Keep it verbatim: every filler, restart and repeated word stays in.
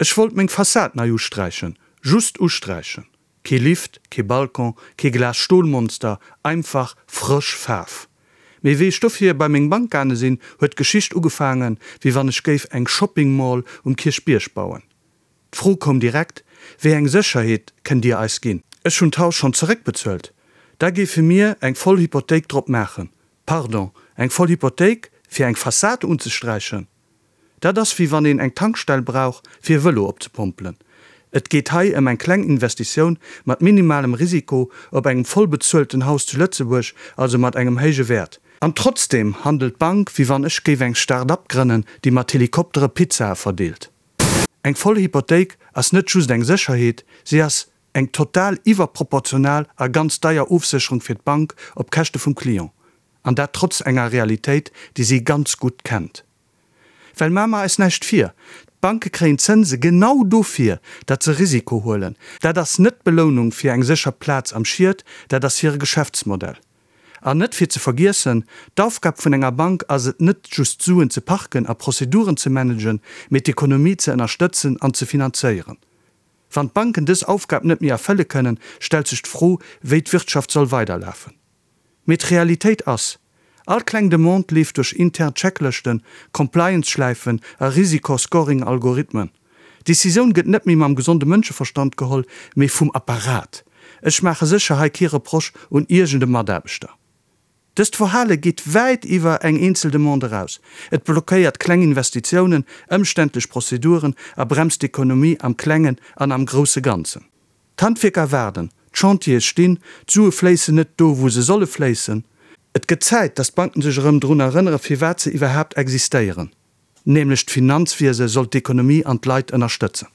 Ech wollt meng Fassad nei usträichen, just usträichen. Kee Lift, kee Balcon, kee Glas-Stol-Monster, einfach frësch Faarf. Mee wéi ech dofir bei meng Bank gaange sinn, huet d'Geschicht ugefaangen, wéi wann ech géif eng Shopping Mall um Kierchbierg bauen. D'Fro koum direkt, Wéi eng Sécherheet kënnt Dir eis ginn? Ech hunn d'Haus schonn zeréckbezuelt, da géife mir eng voll Hypothéik drop maachen. Pardon, eng voll Hypothéik fir eng Fassad unzesträichen? Dat ass wéi wann een eng Tankstell brauch fir e Vëlo opzepompelen. Et geet hei ëm eng kleng Investitioun mat minimalem Risiko op engem voll bezuelten Haus zu Lëtzebuerg, also mat engem héije Wäert. An trotzdeem handelt d'Bank wéi wann ech géif eng Start-up grënnen, déi mat Helikoptere Pizzae verdeelt. Eng voll Hypothéik ass net just eng Sécherheet, si ass eng total iwwerproportional a ganz deier Ofsécherung fir d'Bank op Käschte vum Client. An dat trotz enger Realitéit, déi si ganz gutt kennt. Well maache mer eis näischt vir, D'Banke kréien Zënse genau dofir, datt se Risiko huelen. Dat ass net d'Belounung fir eng sécher Plaz am Schiet, dat ass hire Geschäftsmodell. An net fir ze vergiessen, D'Aufgab vun enger Bank ass et net just Suen ze parken a Prozeduren ze managen, mee d'Ekonomie ze ënnerstëtzen an ze finanzéieren. Wann d'Banken dës Aufgab net méi erfëlle kënnen, stellt sech d'Fro, wéi d'Wirtschaft soll weiderlafen. Mee d'Realitéit ass, All kleng Demande leeft duerch intern Checklëschten, Compliance-Schläifen a Risiko-Scoring-Algorithmen. D'Decisioun gëtt net méi mam gesonde Mënscheverstand geholl, mee vum Apparat. Ech maache sécher hei kee Reproche un iergend e Mataarbechter. Dëst Verhale geet wäit iwwer eng eenzel Demande eraus. Et blockéiert kleng Investitiounen, ëmständlech Prozeduren a bremst d'Ekonomie am Klengen an am grousse Ganzen. D'Handwierker waarden, d'Chantiere stinn, d'Sue fléissen net do, wou se solle fléissen. Et gëtt Zäit, datt d'Banken sech erëm drun erënnere firwat se iwwerhaapt existéieren, nämlech d'Finanzwiese soll d'Ekonomie an d'Leit ënnerstëtzen.